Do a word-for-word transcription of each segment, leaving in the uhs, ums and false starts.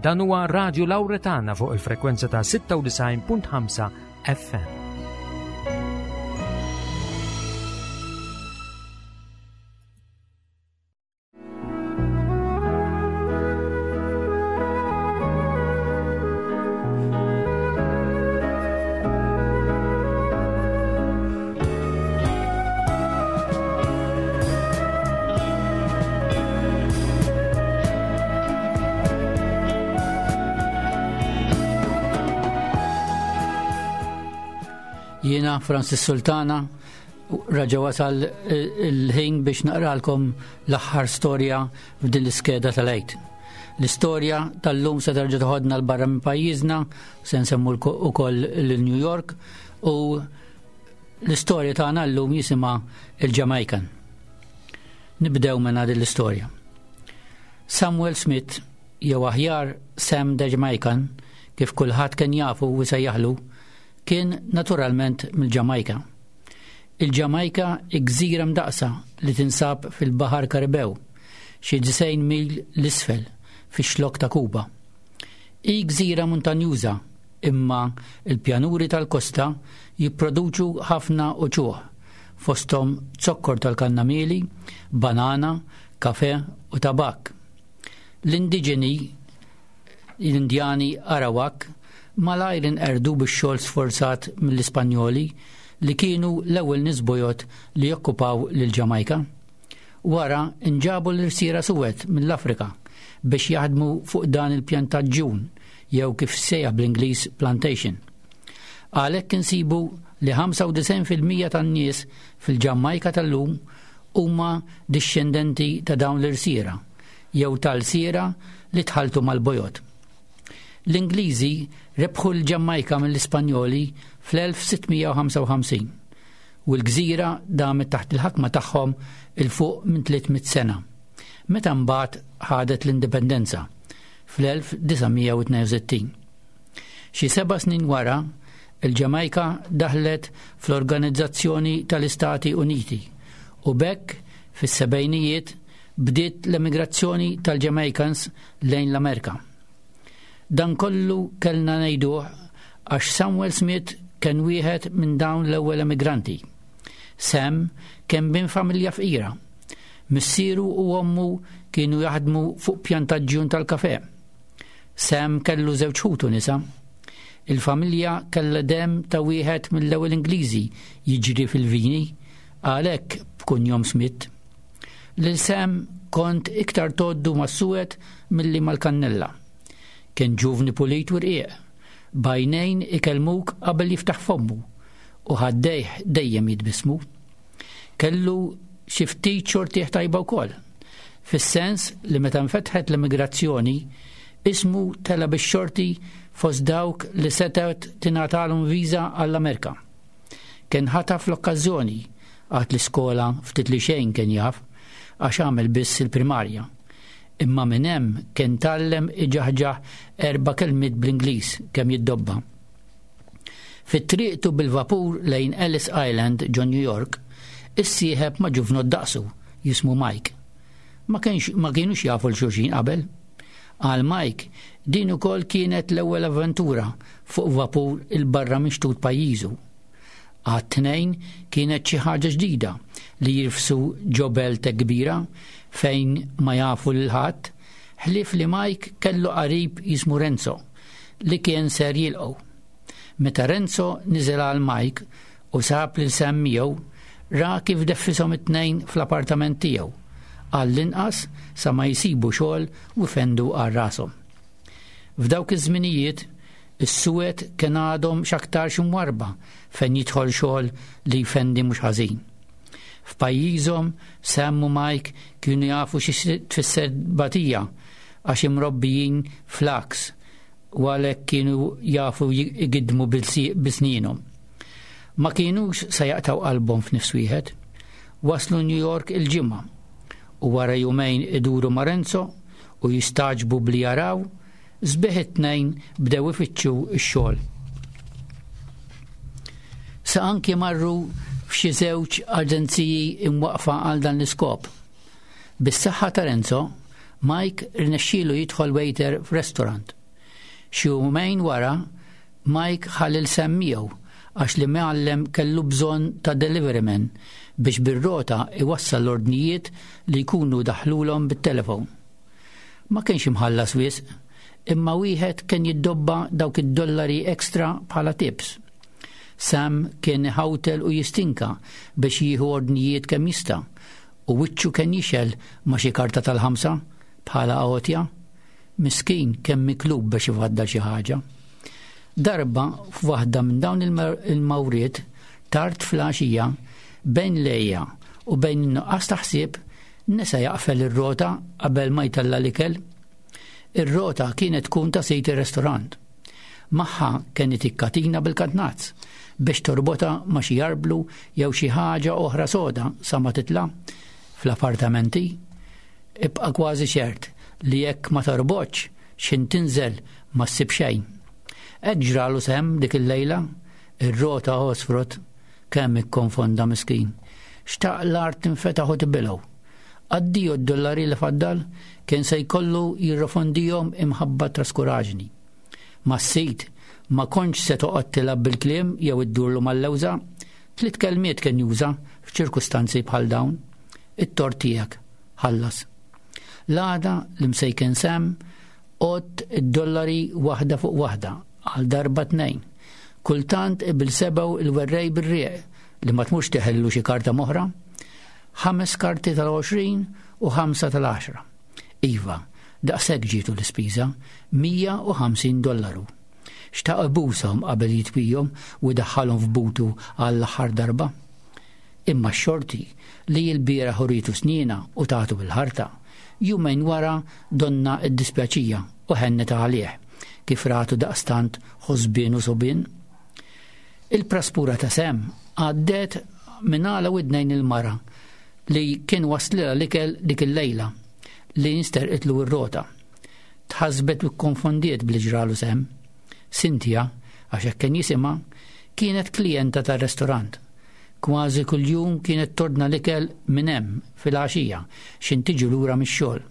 Dan huwa Radio Lauretana fuq il-frekwenza ta' sitta u disgħin punt ħamsa F M. Jiena Francis Sultana, raġa wasal il-ħin biex naqralkom l-aħħar storja f'din l-iskeda tal-Għid. L-istorja tal-lum se terġa' toħodna 'l barra minn pajjiżna, se nsemmu ukoll l-New York, u l-istorja tagħna llum jisimha il-Jamaican. Nibdew minn din l-istorja. Samuel Smith, jew aħjar Sam the Jamaican, kif kulħadd kien jafu u sejjaħlu, kien naturalment mill-Ġamajka. Il-Ġamajka gżira mdaqsa li tinsab fil-Baħar Karibew, xi disgħin mil 'l isfel fix-xlok ta' Kuba. Hi gżira muntanjuża, imma il-pjanuri tal-kosta jipproduċu ħafna uċuħ, fostom zokkor tal-kannamili, banana, kafe u tabak. L-indiġeni, l-Indjani Arawak, malajr inqerdu bix-xogħol sforzat mill-Ispanjoli, li kienu l-ewwel nies bojod li jokkupaw lil Ġamajka. Wara nġabu l-irsiera suwed mill-Afrika biex jaħdmu fuq dan il-pjantaġġun, jew kif sejjaħ bl-Ingliż plantation. Għalhekk insibu li ħamsa u disgħin fil-mija tan-nies fil-Ġamajka tal-lum huma dixxendenti ta' dawn l-irsiera jew tal-lsiera li tħaltu mal-bojod. L-Ingliżi rebħu l-Ġamajka mill-Ispanjoli fl-elf sitt mija u ħamsa u ħamsin u l-gżira damet taħt il-ħakma tagħhom 'il fuq minn tliet mitt sena, meta mbagħad ħadet l-indipendenza fl-elf disa' mija u tnejn u sittin. Xi seba' snin wara, il-Ġamajka daħlet fl-Organizzazzjoni tal-Istati Uniti u b'hekk fis-sebgħinijiet bdiet l-emigrazzjoni tal-Jamaicans lejn l-Amerika. Dan kollu kellna ngħiduh għax Samuel Smith kien wieħed minn dawn l-ewwel emigranti. Sam kien bin familja fqira. Missieru u ommu kienu jaħdmu fuq pjantaġġjun tal-kafe. Sam kellu żewġ ħutu nisa. Il-familja kellha dem ta' wieħed mill-ewwel Ingliżi jiġri fil-vini, għalhekk b'kunjom Smith. Lil Sam kont iktar tgħoddu mas-suwed milli mal-kannella. Kien ġuvni pulit u rqiq, b'għajnejn ikellmuk qabel jiftaħ fommu u ħaddejh dejjem jitbismu. Kellu xi ftit xortih tajba wkoll, fis-sens li meta nfetħet l-immigrazzjoni, ismu tela bix-xorti fost dawk li setgħet tingħatalhom viża għall-Amerika. Kien ħataf l-okkażjoni, għad l-iskola ftit li xejn kien jaf, għax għamel biss il-primarja. Imma minn hemm kien tgħallem iġaħġaħ erba' kelmiet bl-Ingliż kemm jiddobba. Fit-triqtu bil-vapur lejn Ellis Island ġo New York, issieħeb ma' ġuvnot daqsu jismu Mike. Ma, kienx, ma kienux jafu 'l xulxin qabel. Għal Mike, din ukoll kienet l-ewwel avventura fuq vapur 'il barra minn xtut pajjiżu. Għat-tnejn kienet xi ħaġa ġdida li jirfsu ġo belt kbira fejn ma jafu lil ħadd, ħlief li Mike kellu qarib jismu Renzo li kien ser jilqgħu. Meta Renzo niżel għal Mike u sab lil Sam miegħu, ra kif deffishom it-tnejn fl-appartament tiegħu, għall-inqas sa ma jsibu xogħol u jfendu għal rashom. F'dawk iż-żminijiet, is-suwed kien għadhom x'aktarx imwarrba fejn jidħol xogħol li jfendi mhux ħażin. F'pajjiżhom Sam u Mike kienu jafu xi tfisser batija, għax imrobbijin fl-għaks, u għalhekk kienu jafu jgidmu bisnienhom. Ma kienux sa jaqtaw qalbhom f'nifs wieħed. Waslu New York il-Ġimgħa u wara jumejn iduru ma' Renzo u jistagħġbu bli jaraw, sbieħ it-Tnejn bdew ifittxu x-xogħol. Sa anki marru f'xi żewġ aġenziji imwaqfa għal dan l-iskop. Bis-saħħa ta' Renzo Mike rnexxielu jidħol waiter f'restaurant. Xi jumejn wara, Mike ħa lil Sam miegħu għax l-imgħallem kellu bżonn ta' deliveryman biex bir-rota iwassal l-ordnijiet li jkunu daħlulhom bit-telefon. Ma kienx imħallas wisq, imma wieħed kien jiddobba dawk id-dollari ekstra bħala tips. Sam kien ħawtel u jistinka biex jieħu ordnijiet kemm jista' u wiċċu kien jixgħel ma' xi karta tal-ħamsa bħala għotja. Miskin kemm miklub biex ifaddal xi ħaġa. Darba f'waħda minn dawn il-mawriet tard fl-għaxija bejn l-għeja u bejn in-nuqqas ta' ħsieb nesa jaqfel ir-rota qabel ma jtella' l-ikel. Ir-rota kienet tkun ta' sid ir-restorant. Magħha kien itik katina bil-katnazz biex torbota ma' xi arblu jew xi ħaġa oħra soda sa ma titla' fl-appartamenti. Ibqa' kważi ċert li jekk ma torbotx x'ħin tinżel ma ssib xejn. Hekk ġralu Sam dik il-lejla, ir-rota għosfrot kemm ikkonfonda miskin. Xtaq l-art tinfetaħ u tibilgħu. Addio d-dollari li faddal kien se jkollu jirrifondihom imħabba traskuraġni. Mas-sid ma kontx se toqgħod tilgħab bil-kliem jew iddurlu mal-lewża, tliet kelmiet kien juża f'ċirkustanzi bħal dawn. It-tort tiegħek, ħallas. L-għada l-imsejken Sam għodd id-dollari waħda fuq waħda għal darba tnejn. Kultant ibil sebgħu il-werrej bir-rieq li ma tmux teħellu xi karta moħra. Ħames karti tal-għoxrin u ħamsa tal-għaxra. Iva, daqshekk ġietu l-ispiża, mija u ħamsin dollaru. Xtaq ibushom qabel jitwijhom u jdaħħalhom f'butu għall-aħħar darba. Imma x-xorti li l-bieraħ uritu sniena u tagħtu bil-ħarta, jumejn wara donna iddispjaċija u ħennet għalih kif ratu daqstant ħosbien u sobien. Il-praspura ta' Sam għaddet minn għala widnejn il-mara li kien waslilha l-ikel dik il-lejla li nsterqitlu r-rota. Tħasbet u kkonfondiet bli ġralu Sam. Cynthia, għax hekk kien jisimha, kienet klijenta tar-restorant. Kważi kuljum kienet tordna l-ikel minn hemm fil-għaxija x'ħin tiġi lura mix-xogħol.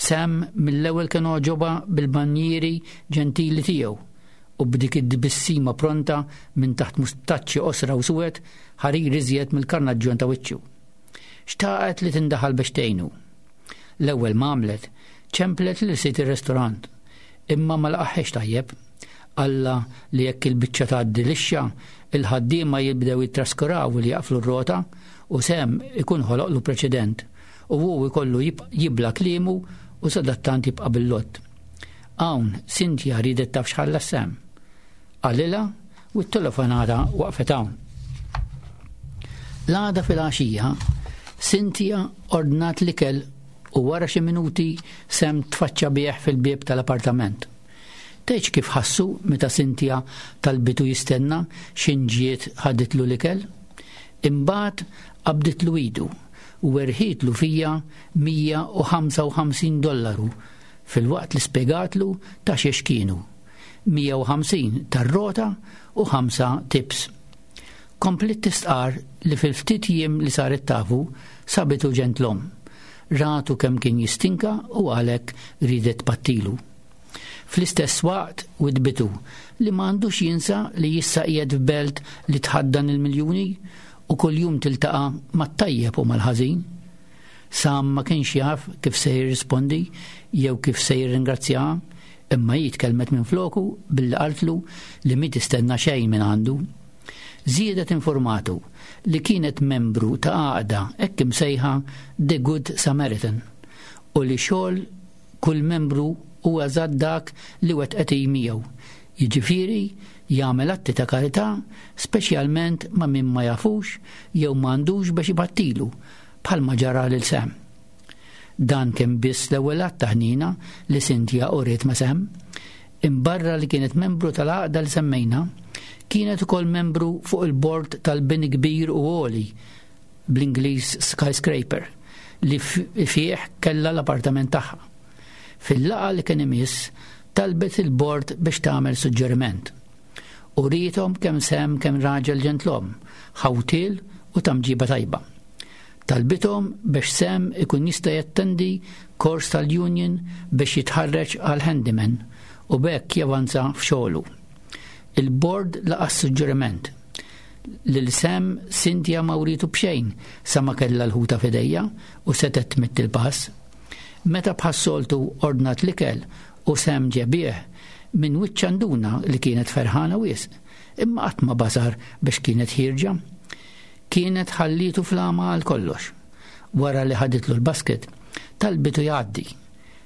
Sam mill-ewwel kien għoġobha bil-banjieri ġentili tiegħu u b'dik id-tbissima pronta minn taħt mustaċċi qosra u suwed ħarir iżjed mill-karnaġġjon ta' wiċċu. Xtaqet li tindaħal biex tgħinu. L-ewwel ma għamlet, ċemplet lil sid ir-restorant, imma ma laqaħħiex tajjeb. Alla li jekk il-biċċa tgħaddi lixxa, il-ħaddiema jibdew jittraskuraw li jaqflu r-rota u Sam ikun ħoloqlu preċedent u hu jkollu jibla kliemu u sadattant jibqa' bil-lott. Hawn Cynthia ridet taf x'ħalla Sam. Qalilha u t-telefonata waqfet hawn. L-għada fil-għaxija, Cynthia ordnat l-ikel u wara xi minuti Sam tfaċċa bih fil-bieb tal-appartament. Tgħidx kif ħassu meta Cynthia talbitu jistenna x'ħin ġiet ħaditlu l-ikel? Imbagħad qabditlu idu u werħitlu fija mija u ħamsa u ħamsin dollaru fil-waqt li spjegatlu ta' xiex kienu. Mija u ħamsin tar-rota u ħamsa tips. Komplit tistqar li fil-ftit jiem li saret tafu sabitu ġentlom. Ratu kemm kien jistinka u għalhekk ridet pattilu. Fl-istess waqt widbitu li ma għandux jinsa li jissa qiegħed f'belt li tħaddan il-miljuni u kuljum tiltaqa' mat-tajjeb u mal-ħażin. Sam ma kienx jaf kif se jirrispondi jew kif se jirringrazzjaha, imma hi tkellmet minn floku billi qaltlu li mi tistenna xejn minn għandu. Żiedet informatu li kienet membru ta' għaqda hekk imsejħa The Good Samaritan u li xogħol kull membru huwa eżatt dak li wettqet hi miegħu. Jiġifieri jagħmel atti ta' karità speċjalment ma' min ma jafux jew ma għandux biex ibattilu bħalma ġara lil Sam. Dan kien biss l-ewwel att ta' ħnina li Cynthia uriet ma' Sam. Imbarra li kienet membru tal-għaqda li semmejna, kienet ukoll membru fuq il-bord tal-bini kbir u għoli bl-Ingliż skyscraper li fih kellha l-appartament tagħha. Fil-laqgħa li kien imiss talbet il-bord biex tagħmel suġġeriment. U rietom kemm Sam kemm raġel ġentlom, ħawtil u tamġiba tajba. Talbithom biex Sam ikun jista' jattendi kors tal-union biex jitħarreġ għal handyman u b'hekk javanza f'xogħlu. Il-bord laqa' suġġeriment. Lil Sam Cynthia ma writu b'xejn sa ma kellha l-ħuta f'idejha u setgħet tmidd il-pass. Meta bħas-soltu ordnat l-ikel u Sam ġiebh, minn wiċċha nduna li kienet ferħana wisq, imma qatt ma basar biex kienet ħierġa. Kienet ħallitu flama għal kollox. Wara li ħaditlu l-basket, talbitu jgħaddi.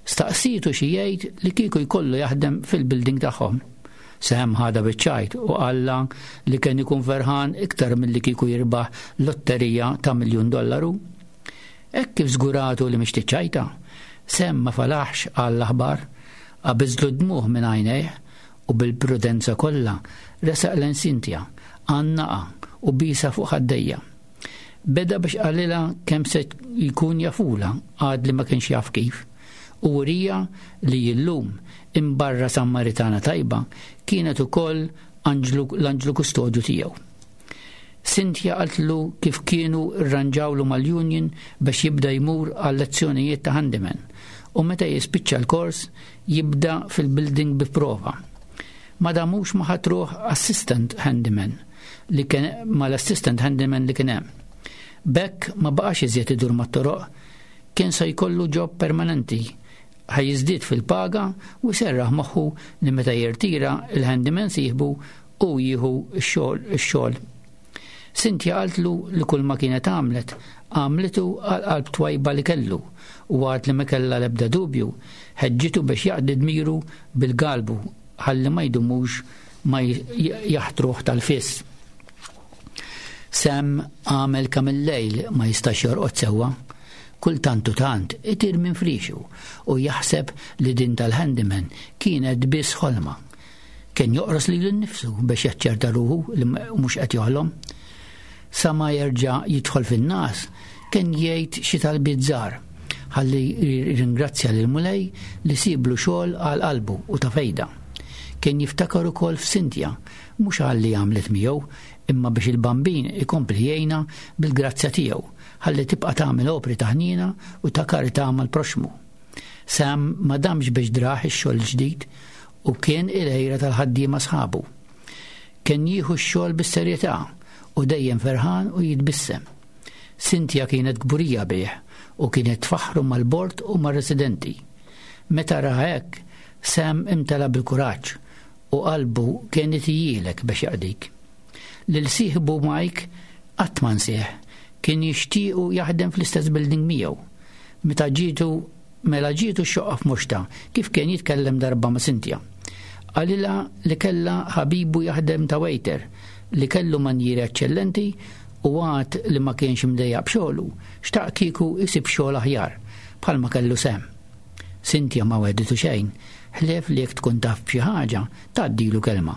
Staqsietu xi jgħid li kieku jkollu jaħdem fil-building tagħhom. Sam ħadha biċ-ċajt u qalla li kien ikun ferħan iktar milli kieku jirbaħ lotterija ta' miljun dollaru. Hekk kif żguratu li mhix tiċċajta, Sam ma falaħx għall-aħbar, qabiżlu d-dmugħ minn għajnejh u bil-prudenza kollha resaq lejn Cynthia, għannaqha u biesha fuq ħaddejha. Beda biex qalilha kemm se jkun jafula għad li ma kienx jaf kif u wriha li illum imbarra Sammaritana tajba kienet ukoll l-anġlu kustodju tiegħu. Cynthia qaltlu kif kienu rranġawlu mal-union biex jibda jmur għal lezzjonijiet ta' handyman u meta jispiċċa l-kors jibda fil-building bi prova. Ma damux ma ħatruh assistant handyman li kien mal-assistant handyman li kien hemm. B'hekk ma baqax iżjed idur mat-toroq, kien se jkollu job permanenti, ħa jiżdied fil-paga u serraħ moħħu li meta jirtira il-handyman sieħbu u jieħu x-xogħol. Cynthia qaltlu li kull ma kienet għamlet, għamlitu għal qalb twajba li kellu u għad li ma kellha l-ebda dubju, ħeġġitu biex jaqdi dmiru bil-galbu ħalli ma jdumux ma jaħtruh tal-fis. Sam għamel kemm il-lejl ma jistax jorqod sewwa. Kultant u tant itir minn frixu u jaħseb li din tal-handyman kienet biss ħolma. Kien joqros lilu nnifsu biex jaċċerta ruħu li mhux qed joħlom. Sa ma jerġa' jidħol fin-nas kien jgħid xi talbiet żgħar ħalli ringrazzja lil Mulej li siblu xogħol għal qalbu u ta' fejda. Kien jiftakar ukoll f'Cynthia, mhux għal li għamlet miegħu, imma biex il-bambin ikompli jgħinha bil-grazzja tiegħu, ħalli tibqa' tagħmel opri ta' ħniena u ta' karità mal-proxmu. Sam ma damx biex drah ix-xogħol ġdid u kien il-għira tal-ħaddiema sħabu. Kien jieħu x-xogħol bis-serjetà u dejjem ferħan u jitbissem. Cynthia kienet kburija bih u kienet tfaħru mal-bord u mar-residenti. Meta ra hekk, Sam imtela bil-kuraġġ u qalbu kienet jilek biex jaqdik. Lil sieħbu Mike qatt ma nsieh, kien jixtiequ jaħdem fl-istess building miegħu. Meta ġietu mela ġietu xoqqa f'muxta kif kien jitkellem darba ma' Cynthia. Qalilha li kella ħabibu jaħdem ta' waiter li kellu manjieri eċċellenti u għad li ma kienx imdejjaq b'xogħlu, xtaq kieku isib xogħol aħjar bħalma kellu Sam. Cynthia ma wegħditu xejn, ħlief li jekk tkun taf b'xi ħaġa tgħaddilu kelma.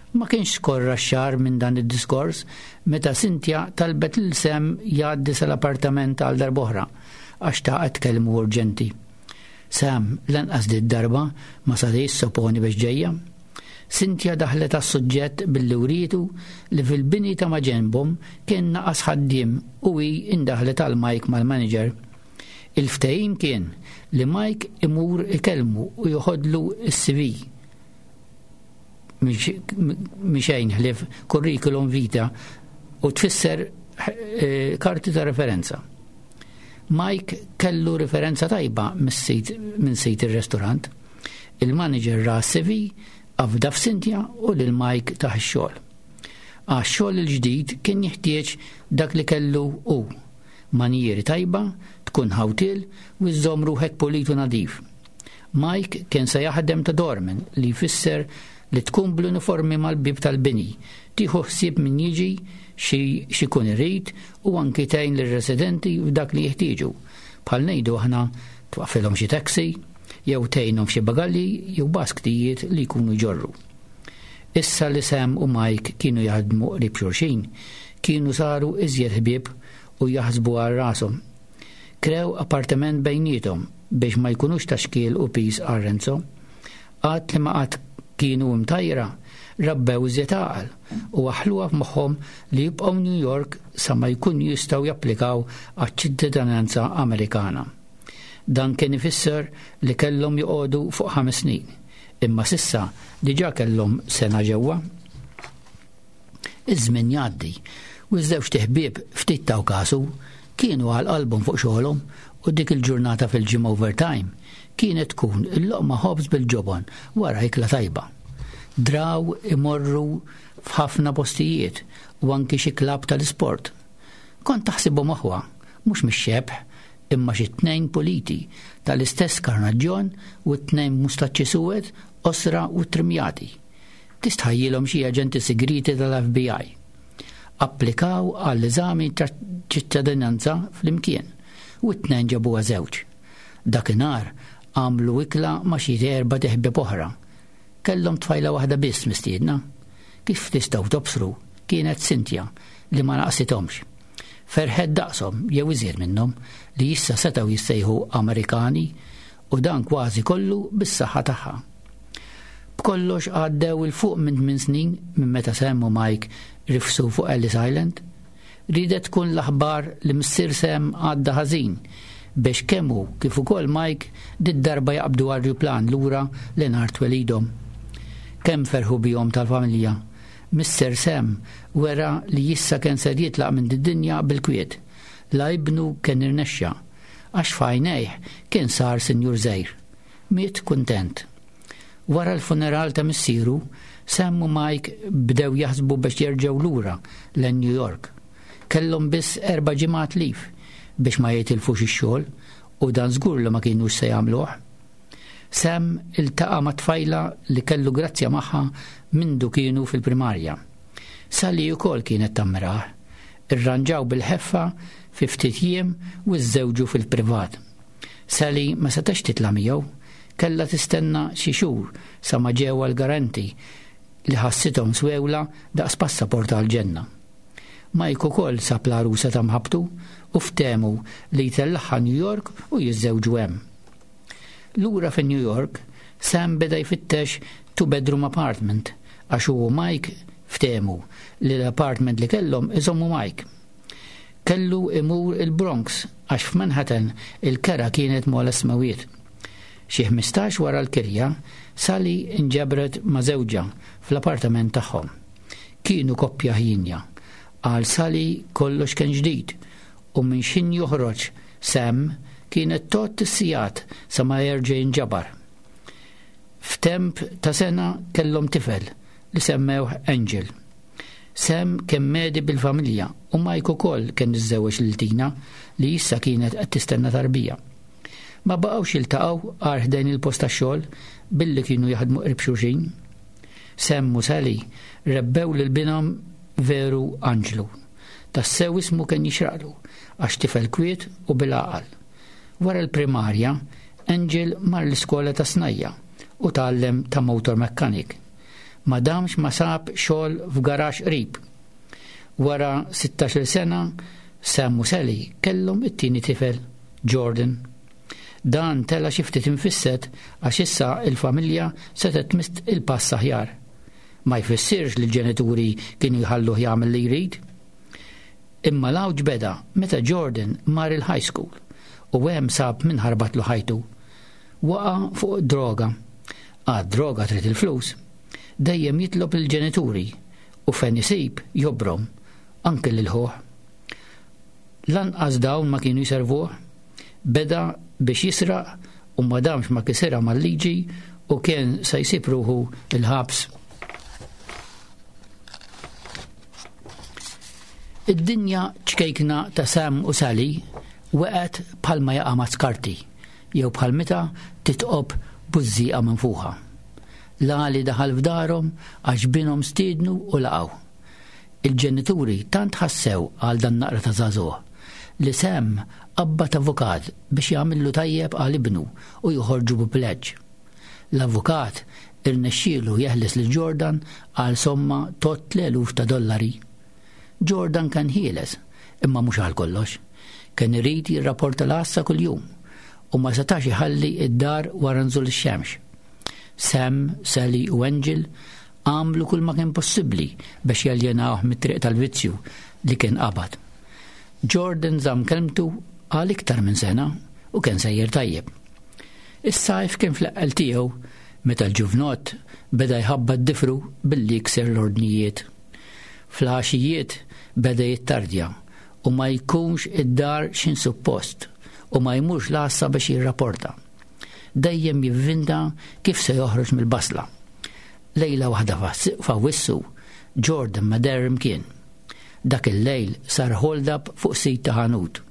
Ma kienx skorra xahar minn dan id-diskors meta Cynthia talbet lil Sam jgħaddi sal-appartament għal darb'oħra għax xtaqet tkellmu urġenti. Sam lanqas di darba ma seta' jissoponi biex ġejja. Cynthia daħlet għas-suġġett billi wrietu li fil-bini ta' maġenbhom kien naqas ħaddiem u hi indaħlet għal Mike mal-manager. Il-ftehim kien li Mike imur ikellmu u joħodlu s-C V. Mhix xejn ħlief curriculum vitae u tfisser eh, karti ta' referenza. Mike kellu referenza tajba minn sid ir-restorant. Il-manager ra C V, afda f'Cynthia u lil Mike tah ix-xogħol. Għax-xogħol il-ġdid kien jeħtieġ dak li kellu hu. Manjieri tajba, tkun ħawtil u żżomm ruħek pulit u nadif. Mike kien se jaħdem ta' doorman, li jfisser li tkun bl-uniformi mal-bib tal-bini, tieħu ħsieb min jiġi x'ikun irid u anki tgħin lir-residenti f'dak li jeħtieġu. Bħal ngħidu aħna twaqfilhom xi taxi, jew tgħinhom f'xi bagalli jew basktijiet li jkunu jġorru. Issa li Sam u Mike kienu jaħdmu qrib xulxin, kienu saru iżjed ħbieb u jaħsbu għal rashom. Krew appartament bejniethom biex ma jkunux ta' xkiel u piż għal Renzo. Għad li ma qatt kienu imtajra, rabbew iżjed għaqal u waħħluha f'moħħhom li jibqgħu New York sa ma jkun jistgħu japplikaw għaċ-ċittadinanza Amerikana. Dan kien ifisser li kellhom joqogħdu fuq ħames snin, imma s'issa diġà kellhom sena ġewwa. Iż-żmien jgħaddi u ż-żewġt iħbieb ftit taw kasu, kienu għal qalbhom fuq xogħolhom u dik il-ġurnata fil-ġimgħa overtime kienet tkun il-loqma ħobż bil-ġobon wara ikla tajba. Draw imorru f'ħafna postijiet u anki xi klabb tal-isport. Kont taħsibhom aħwa, mhux mix-xebh, imma xi tnejn puliti tal-istess karnaġġjon u t-tnejn mustaċċi suwed, qosra u trimjati. Tistħajjilhom xi aġenti segreti tal-F B I. Applikaw għall-eżami ta' ċittadinanza flimkien u t-tnejn ġabuha żewġ. Dakinhar għamlu ikla ma' xi erbat iħbieb oħra. Kellhom tfajla waħda biss mistiedna. Kif tistgħu tobsru, kienet Cynthia li ma naqsithomx. Ferħet daqshom jew iżjed minnhom li issa setgħu jissejħu Amerikani u dan kważi kollu bis-saħħa tagħha. B'kollox għaddew 'il fuq minn tmien snin minn meta Sam u Mike rifsu fuq Ellis Island. Ridet tkun l-aħbar li missier Sam għadda ħażin biex kemm hu kif ukoll Mike did-darba jaqbdu arjuplan lura lejn art twelidhom. Kemm ferħu bihom tal-familja. Missier Sam wera li issa kien ser jitlaq minn id-dinja bil-kwiet. La ibnu kien irnexxa, għax f'għajnejh kien sar sinjur żgħir. Miet kuntent. Wara l-funeral ta' missieru, Sam u Mike bdew jaħsbu biex jerġgħu lura lejn New York. Kellhom biss erba' ġimgħat leave biex ma jitilfux ix-xogħol u dan żgur li ma kienux se jagħmluh. Sam iltaqa' ma' tfajla li kellu grazzja magħha mindu kienu fil-primarja. Sally ukoll kienet tammirah. Irranġaw bil-ħeffa fi ftit jiem u żżewġu fil-privat. Sally ma setax titla' miegħu, kellha tistenna xi xhur sa ma ġew l-garanti li ħassithom swewla daqs passaport għal-ġenna. Mike ukoll sab l-għarusa ta' mħabbtu u ftehmu li jtellagħha New York u jiżżewġu hemm. Lura fi New York, Sam beda jfittex two bedroom apartment għax hu u Mike ftehmu li l-apartment li kellhom iżommu Mike. Kellu imur il-Bronx għax f'Manhattan il-kera kienet m'ogħla smawiet. Xi ħmistax wara l-kirja, Sally inġabret ma' żewġha fl-appartament tagħhom. Kienu koppja ħienja. Għal Sally kollox kien ġdid u minn x'ħin joħroġ Sam kienet tgħodd is-sigħat sa ma jerġa' jinġabar. F'temp ta' sena kellhom tifel li semmewh Angel. Sam kien medhi bil-familja u Mike ukoll kien iżżewweġ lil Tina li issa kienet qed tistenna tarbija. Ma baqgħux jiltaqgħu għar ħdejn il-post tax-xogħol billi kienu jaħdmu qrib xulxin. Sam u Sally rebbew lil binhom veru Anġlu. Tassew ismu kien jixraqlu għax tifel kwiet u bil-għaqal. Wara l-primarja, Angel mar l-iskola ta' snajja' u tgħallem ta' motor mechanic. Ma damx ma sab xogħol f'garaxx qrib. Wara sittax-il sena, Sam u Sally kellhom it-tieni tifel, Jordan. Dan tela xi ftit infisset għax issa il-familja setgħet tmiss il-pass aħjar. Ma jfissirx li l-ġenituri kienu jħalluh jagħmel li jrid. Imma l-għawġ beda meta Jordan mar il-high school u hemm sab min ħarbatlu ħajtu. Waqa' fuq droga. Għad droga trid il-flus. Dejjem jitlob il-ġenituri u fejn isib jobrom anke lil ħuh. Lanqas dawn ma kienu jservuh. Beda biex jisraq u ma damx ma kisirha mal-liġi u kien se jsib ruħu il-ħabs. Id-dinja ċkejkna ta' Sam u Sally waqgħet bħalma jaqa' ma' skarti jew bħal meta titqob bużżieqa minfuħa. Lali daħal f'darhom għax binhom stiednu u laqgħu. Il-ġenituri tant ħassew għal dan naqra ta' żagħżugħ li Sam qabbad avukat biex jagħmillu tajjeb għal ibnu u joħorġu bi pleġġ. L-avukat irnexxielu jeħles lil Jordan għal somma tot eluf ta' dollari. Jordan kien ħieles, imma mhux għal kollox. Kien irid jirrapporta l-għassa kuljum u ma setax iħalli id-dar wara nżul ix-xemx. Sam, Sally u Angel għamlu kull ma kien possibbli biex jaljenawh mit-triq tal-vizzju li kien qabad. Jordan żamm kelmtu għal iktar minn sena u kien sejjer tajjeb. Is-sajf kien fl-eqqel tiegħu meta l-ġuvnott beda jħabbat difru billi jikser l-ordnijiet. Fl-għaxijiet beda jittardja u ma jkunx id-dar x'in suppost u ma jmurx l-għassa biex jirrapporta. Dejjem jivvinta kif se joħroġ mill-basla. Lejla waħda f'Awwissu, Jordan ma deher imkien. Dak il-lejl sar hold-up fuq sit ta' ħanut.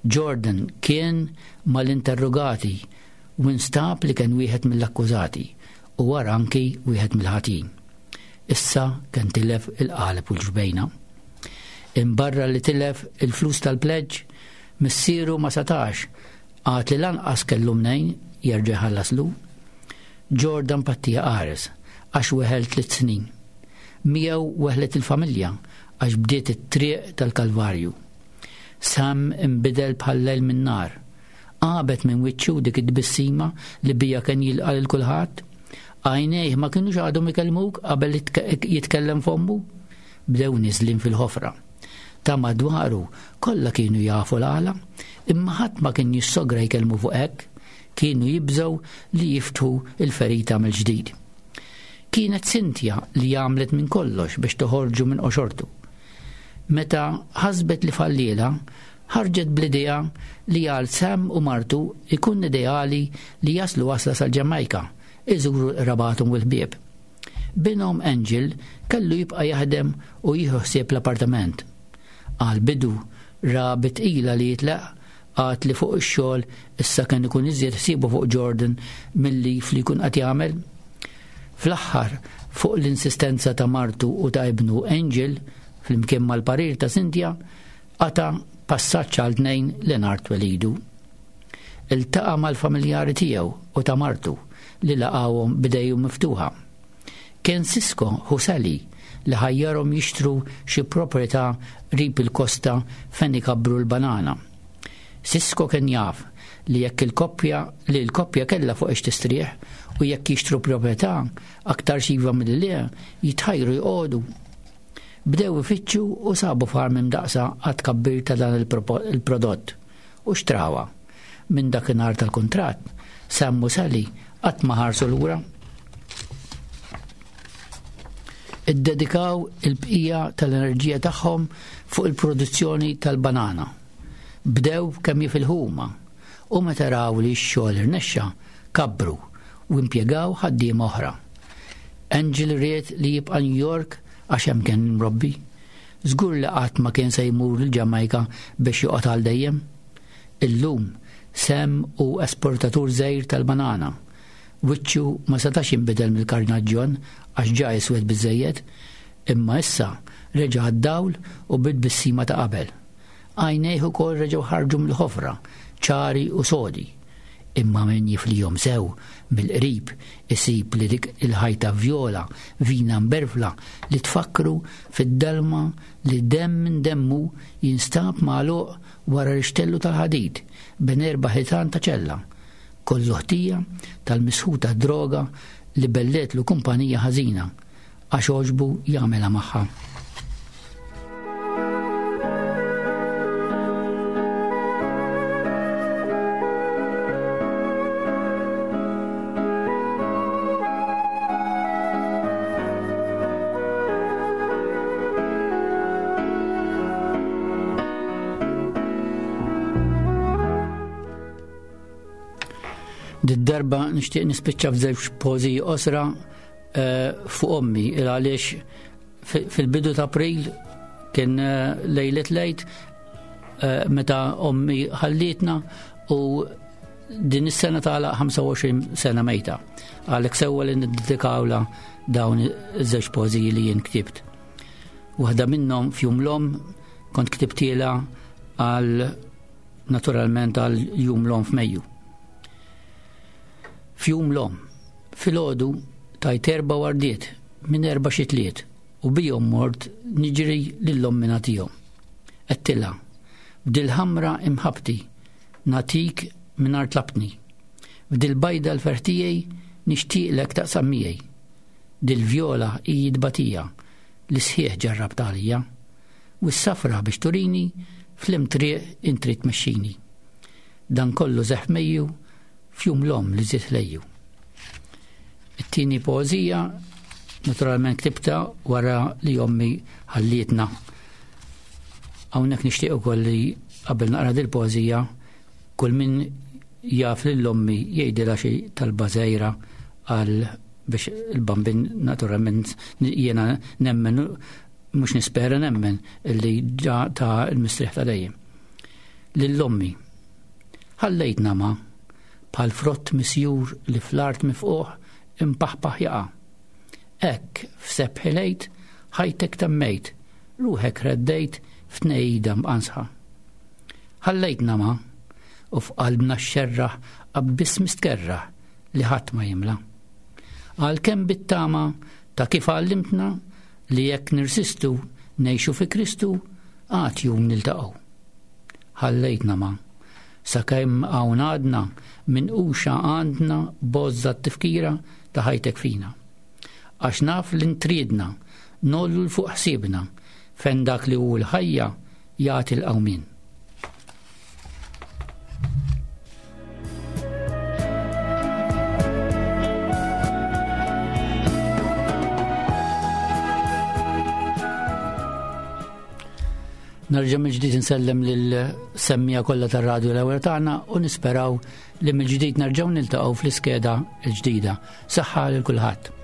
Jordan kien mal-interrogati u instab li kien wieħed mill-akkużati u wara anki wieħed mill-ħatin. Issa kien tilef il-qaleb u l-ġbejna. Imbarra li tilef il-flus tal-pleġġ, missieru ma setax, għad li lanqas kellu mnejn jerġa' jħallaslu. Jordan pattija qares għax weħel tliet snin. Miegħu weħlet il-familja għax bdiet it-triq tal-Kalvarju. Sam imbidel bħal lejl minn nar. Għabet minn wiċċu dik it-tbissima li bija kien jilqa' lil kulħadd. Għajnejh ma kinux għadhom ikellmuk qabel jitkellem fommu. Bdew niżlin fil-ħofra. Ta' madwaru kollha kienu jafu l-għala, imma ħadd ma kien jissogra jkellmu fuq hekk, kienu jibżgħu li jiftħu il-ferita mill-ġdid. Kienet Cynthia li għamlet minn kollox biex toħorġu minn qoxortu. Meta ħasbet li falliela, ħarġet bl-idea li għal Sam u martu ikun ideali li jaslu wasla sal-Ġamajka, iżuru rabatum u l-ħbieb. Binhom Angel kellu jibqa' jaħdem u jieħu ħsieb l-appartament. Għal bidu ra bitqila li jitlaq, għad li fuq ix-xogħol issa kien ikun iżjed ħsiebu fuq Jordan milli fli jkun qed jagħmel. Fl-aħħar, fuq l-insistenza ta' martu u ta' ibnu Angel, flimkien mal-parir ta' Cynthia, qata' passaġġ għal tnejn li nhar twelidu. Iltaqa' mal-familjari tiegħu u ta' martu li laqgħuhom b'idejhom miftuħa. Kien Sisko Husali li ħajjarhom jixtru xi proprjetà qrib il-kosta fejn ikabbru l-banana. Sisko kien jaf li jekk il-koppja li l-koppja kellha fuq ix tistrieħ u jekk jixtru proprjetà aktar xiva milli le jitħajru jqogħdu. Bdew ifittxu u sabu farm imdaqsa għad kabbir ta' dan il-prodott u xtrawa. Minn dakinhar tal-kuntratt, Sam u Sally qatt ma ħarsu lura. Iddedikaw il-bqija tal-enerġija tagħhom fuq il-produzzjoni tal-banana. Bdew kemm jifilħuma u meta raw li x-xogħol irnexxa, kabbru u impjegaw ħaddiema oħra. Angel ried li jibqa' New York għax hemm kien mrobbi. Żgur li qatt ma kien se jmur il-Ġamajka biex joqgħod għal dejjem. Illum Sam hu esportatur żgħir tal-banana. Wiċċu ma setax jinbidel mill-karnaġġjon għax ġa iswed biżżejjed, imma issa reġa' għad-dawl u bit-tbissima ta' qabel. Għajnejh ukoll reġgħu ħarġu mill-ħofra, ċari u sodi. Imma min jiflihom sew mill-qrib isib li dik il-ħajta vjola vina mberfla li tfakru fid-dalma li demm minn demmu jinstab magħluq wara rixtellu tal-ħadid bejn erba' ħitan ta' ċella. Kollu ħtija tal-misħuta droga li belletlu kumpanija ħażina għax għoġbu jagħmilha magħha. Darba nixtieq nispiċċa f'żewġ poeżiji qosra, eh, fuq ommi, il għaliex fil-bidu ta' April kien, eh, lejlet lejt, eh, meta ommi ħallietna u din is-sena tagħlaq ħamsa u għoxrin sena mejta. Għalhekk sewwa li niddedikawla dawn iż-żewġ poeżiji li jien ktibt. Waħda minnhom f'jum l-omm kont ktibtielha għal naturalment għal jum l-omm f'Mejju. F'jum l-omm, filgħodu tajt erba' wardiet minn erba' xitliet u bihom mort niġri lil ommi nagħtihom. Għedtilha, b'dil-ħamra imħabti nagħtik mingħajr tlabtni. B'dil-bajda l-ferħ tiegħi nixtieqlek taqsam miegħi. Dil-vjola hi tbatija li sħiħ ġarrabt għalija. U s-safra biex turini fl-imtriq intri tmexxini. Dan kollu seħħ Mejju f'jum l-omm li żied lejju. It-tieni poeżija naturalment ktibta wara li ommi ħallietna. Hawnhekk nixtieq ukoll li qabel naqra dil-poeżija kull min jaf lil ommi jgħidilha xi talba żgħira għal biex il-Bambin naturalment jiena nemmen, mhux nispera nemmen illi ġa ta' il-mistrieħ ta' dejjem. Lil ommi ħallejtna ma bħal frott misjur li fl-art mifquħ impaħpaħ jaqa'. Hekk f'sebħi lejt ħajtek temmejt, ruħek reddejt f'tnejda mqansħa. Ħallejtna ma u f'qalbna xxerraħ abbiss mistkerraħ li ħadd ma jimla. Għalkemm bit-tama ta' kif għallimtna li jekk nirsistu ngħixu fi Kristu għad jum niltaqgħu. Ħallejtna ma sakemm hawn għadna minn uxa għandna bozza t-tifkira ta' ħajtek fina. Għax naf li ntriedna nollu l fuq ħsiebna fejn dak li hu l-ħajja jagħti l-qawmien. Nerġa' mill-ġdid insellem lil semmija kollha tar-radju l-ewwel tagħna u nisperaw li mill-ġdid nerġgħu niltaqgħu fl-iskeda l-ġdida. Saħħa lil kulħadd.